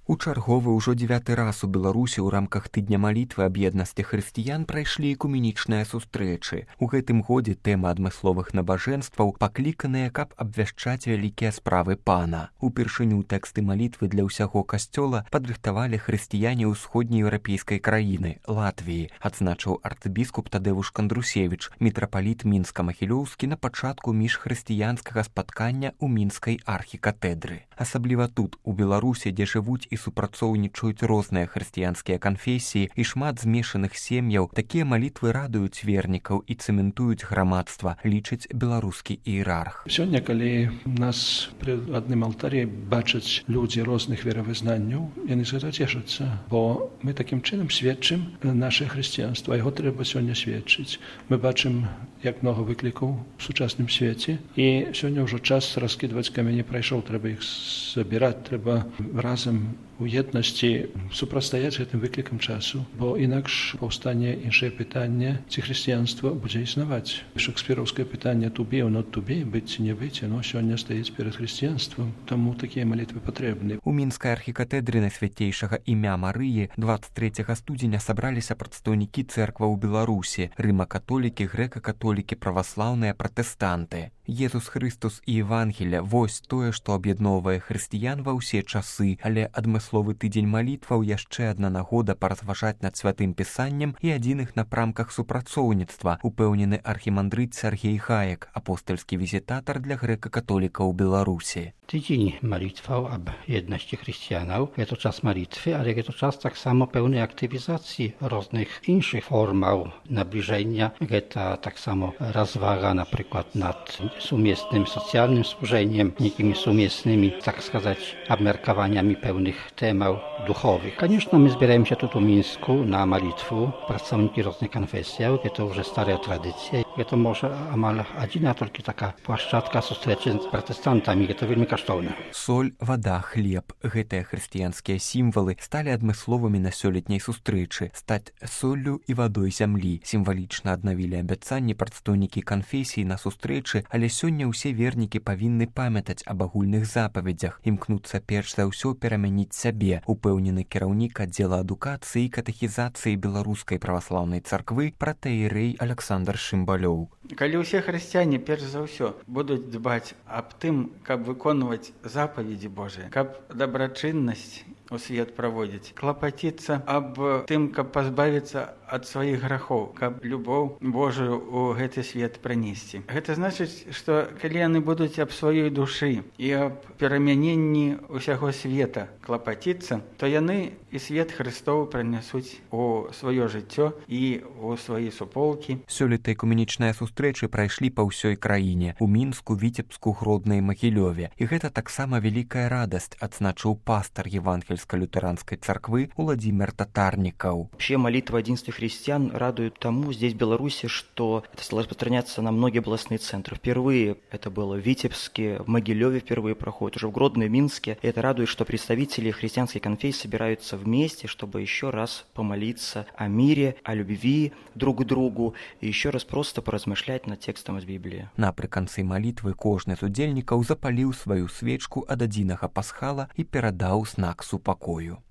У чарговы ўжо 9-й раз у Беларусі ў рамках тыдня малітвы аб еднасці хрысціян прайшлі экуменічныя сустрэчы. У гэтым годзе тэма адмысловых набажэнстваў пакліканыя, каб абвяшчаць вялікія справы пана. Упершыню тэксты малітвы для ўсяго касцёла падрыхтавалі хрысціяне ўсходнееўрапейскай краіны Латвіі, адзначыў арцыбіскуп Тадэвуш Кандрусевіч, мітрапаліт Мінска-Магілёўскі на пачатку міжхрысціянскага спаткання ў мінскай архікатэдры. Асабліва тут, у Беларусі, дзе жывуць і супрацоўнічаюць розныя хрысціянскія канфесіі і шмат змешаных сем'яў, такія малітвы радуюць вернікаў і цэментуюць грамадства, лічыць беларускі іерарх. Сёння, калі нас пры адным алтарі бачаць людзі розных веравызнанняў, яны з гэтага цешацца, бо мы такім чынам сведчым наше хрысціянства, яго трэба сёння сведчыць. Мы бачым, як многа выклікаў у сучасным свеце, і сёння ўжо час раскідваць камені прайшоў, трэба іх забіраць, трэба разам у еднасці супрацьстаяць гэтым выклікам часу, бо інакш паўстане іншае пытанне, ці хрысціянства будзе існаваць. Шекспіраўскае пытанне «to be or not to be», быць ці не быць, яно сёння стаіць перад хрысціянствам, таму такія малітвы патрэбны. У мінскай архікатэдры Найсвяцейшага імя Марыі 23 студзеня сабраліся прадстаўнікі цэркваў Беларусі, рыма-католікі, грэка-католікі, праваслаўныя, пратэстанты. Езус Хрыстус і Евангелія – вось тое, што аб'ядноўвае хрысціян ва ўсе часы, але адмысловы тыдзень малітваў яшчэ адна нагода паразважаць над святым пісаннем і адзіных напрамках супрацоўніцтва, упэўнены архімандрыт Сергей Хаек, апостольскі візітатар для грэка-католікаў Беларусі. Tydzień malitwał ab jedności chrześcijanów. Jest to czas malitwy, ale jest to czas tak samo pełnej aktywizacji różnych innych formał nabliżenia. Jest to tak samo rozwaga na przykład nad sumiestnym socjalnym służeniem, niekimi sumiestnymi, tak сказать, obmerkowaniami pełnych tematów duchowych. Конечно, my zbieramy się tu w Mińsku na malitwę, pracownicy różnych konfesji, jest to już stare tradycje. Jest to może amal jedyna tylko taka płaszczatka zustreczy z protestantami, jest to wielmi kosztowne. Соль, вада, хлеб – гэтыя хрысціянскія сімвалы сталі адмысловымі на сёлетняй сустрэчы. Стаць соллю і вадой зямлі. Сімвалічна аднавілі абяцанні прадстаўнікі канфесій на сустрэчы, але сёння ўсе вернікі павінны памятаць аб агульных запаведзях, імкнуцца перш за ўсё перамяніць сябе, упэўнены кіраўнік аддзела адукацыі і катэхізацыі Беларускай праваслаўнай царквы пратэірэй Александр Шымбалёў. Калі ўсе хрысціяне перш за ўсё будуць дбаць аб тым, каб выконваць запаведзі Божыя, каб дабрачыннасць у свет праводзіць, клапаціцца аб тым, каб пазбавіцца ад сваіх грахоў, каб любоў Божую ў гэты свет прынесці. Гэта значыць, што калі яны будуць аб сваёй душы і аб перамяненні ўсяго света клапаціцца, то яны і свет Хрыстовы прынясуць у сваё жыццё і ў свае суполкі. Сёлета экуменічныя сустрэчы прайшлі па ўсёй краіне, у Мінску, Віцебску, Гродна і Магілёве. І гэта таксама вялікая радасць, адзначыў пастар Евангельска-лютеранской церквы Владимир Татарников. Вообще молитва единства христиан радует тому здесь, в Беларуси, что это стало распространяться на многие областные центры. Впервые это было в Витебске, в Могилеве впервые проходит, уже в Гродно и Минске. И это радует, что представители христианской конфессии собираются вместе, чтобы еще раз помолиться о мире, о любви друг к другу и еще раз просто поразмышлять над текстом из Библии. Напрыканцы молитвы кожны з удзельнікаў запаліў сваю свечку ад адзінага пасхала і перадаў знак супакою.